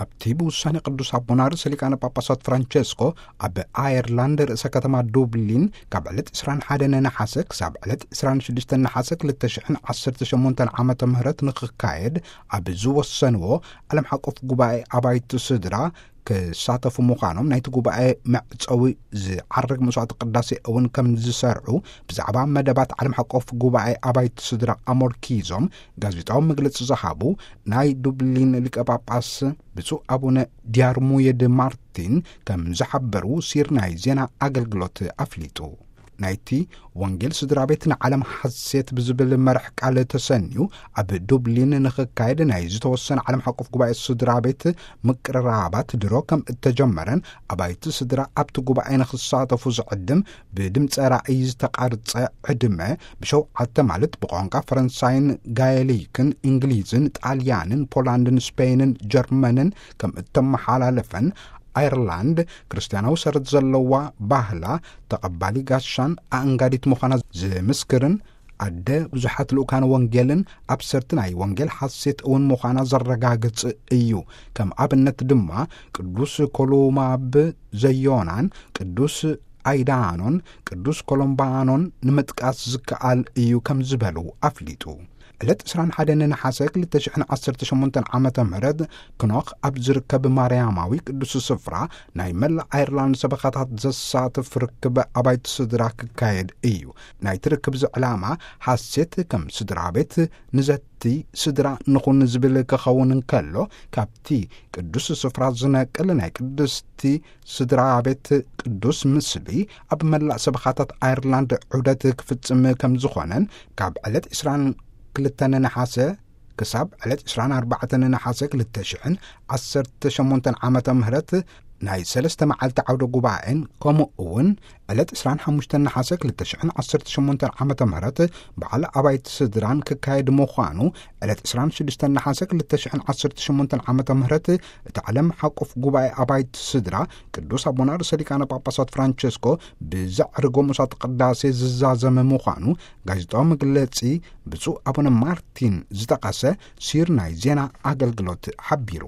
ኣብቲ ብውሳኔ ቅዱስ ኣቦና ርእሰ ሊቃነ ጳጳሳት ፍራንቸስኮ ኣብ ኣየርላንድ ርእሰ ከተማ ዱብሊን ካብ ዕለት ዕስራን ሓደን ነሓሰ ክሳብ ዕለት ዕስራን ሽዱሽተን ነሓሰ ክልተ ሽሕን ዓሰርተ ሸሞንተን ዓመተ ምህረት ንኽካየድ ኣብ ዝወሰንዎ ዓለም ሓቆፍ ጉባኤ ኣባይቲ ስድራ ክሳተፉ ምዃኖም ናይቲ ጉባኤ መዕጸዊ ዝዓርግ መስዋዕቲ ቅዳሴ እውን ከም ዝሰርዑ ብዛዕባ መደባት ዓለም ሓቆፍ ጉባኤ ኣባይቲ ስድራ ኣመልኪዞም ጋዜጣዊ መግለጺ ዝሃቡ ናይ ዱብሊን ሊቀ ጳጳስ ብፁዕ ኣቡነ ዲያርሙየድ ማርቲን ከም ዝሓበሩ ሲር ናይ ዜና ኣገልግሎት ኣፍሊጡ። ናይቲ ወንጌል ስድራ ቤት ንዓለም ሓሴት ብዝብል መርሕ ቃል ተሰንዩ ኣብ ዱብሊን ንኽካየድ ናይ ዝተወሰነ ዓለም ሓቆፍ ጉባኤ ስድራ ቤት ምቅርራባት ድሮ ከም እተጀመረን ኣባይቲ ስድራ ኣብቲ ጉባኤ ንኽሳተፉ ዝዕድም ብድምፀ ራእይ ዝተቐርጸ ዕድመ ብሸውዓተ ማለት ብቋንቋ ፈረንሳይን ጋየሊክን እንግሊዝን ጣልያንን ፖላንድን ስፔይንን ጀርመንን ከም እተመሓላለፈን ኣየርላንድ ክርስትያናዊ ሰረት ዘለዋ ባህላ ተቐባሊ ጋሻን ኣእንጋዲት ምዃና ዝምስክርን ኣደ ብዙሓት ልኡካን ወንጌልን ኣብሰርቲ ናይ ወንጌል ሓሴት እውን ምዃና ዘረጋግጽ እዩ። ከም ኣብነት ድማ ቅዱስ ኮሉማብ ዘዮናን ቅዱስ ኣይዳኖን ቅዱስ ኮሎምባኖን ንምጥቃስ ዝከኣል እዩ ከም ዝበሉ ኣፍሊጡ። ዕለት ዕስራን ሓደን ነሓሰ ክልተ ሽሕን ዓሰርተ ሸሞንተን ዓመተ ምህረት ክኖኽ ኣብ ዝርከብ ማርያማዊ ቅዱስ ስፍራ ናይ መላእ ኣየርላንድ ሰበኻታት ዘሳትፍ ርክብ ኣባይቲ ስድራ ክካየድ እዩ። ናይቲ ርክብ እዚ ዕላማ ሓሴት ከም ስድራ ቤት ንዘቲ ስድራ ንኹን ዝብል ክኸውን እንከሎ ካብቲ ቅዱስ ስፍራ ዝነቅል ናይ ቅድስቲ ስድራ ቤት ቅዱስ ምስሊ ኣብ መላእ ሰበኻታት ኣየርላንድ ዑደት ክፍጽም ከም ዝኾነን ካብ ዕለት ዕስራን ክልተን ነሓሰ ክሳብ ዕለት ዕስራን ኣርባዕተን ነሓሰ ክልተ ሽሕን ዓሰርተ ሸሞንተን ዓመተ ምህረት ናይ ሰለስተ መዓልቲ ዓውደ ጉባኤን ከምኡ እውን ዕለት ዕስራን ሓሙሽተን ነሓሰ ክልተ ሽሕን ዓሰርተ ሸሞንተን ዓመተ ምህረት በዓል ኣባይቲ ስድራን ክካየድ ምዃኑ ዕለት ዕስራን ሽዱሽተን ነሓሰ ክልተ ሽሕን ዓሰርተ ሸሞንተን ዓመተ ምህረት እቲ ዓለም ሓቁፍ ጉባኤ ኣባይቲ ስድራ ቅዱስ ኣቦና ርእሰ ሊቃነ ጳጳሳት ፍራንቸስኮ ብዘዕርጎ መስዋዕተ ቅዳሴ ዝዛዘመ ምዃኑ ጋዜጣዊ መግለጺ ብፁዕ ኣቡነ ማርቲን ዝጠቐሰ ሲር ናይ ዜና ኣገልግሎት ሓቢሩ።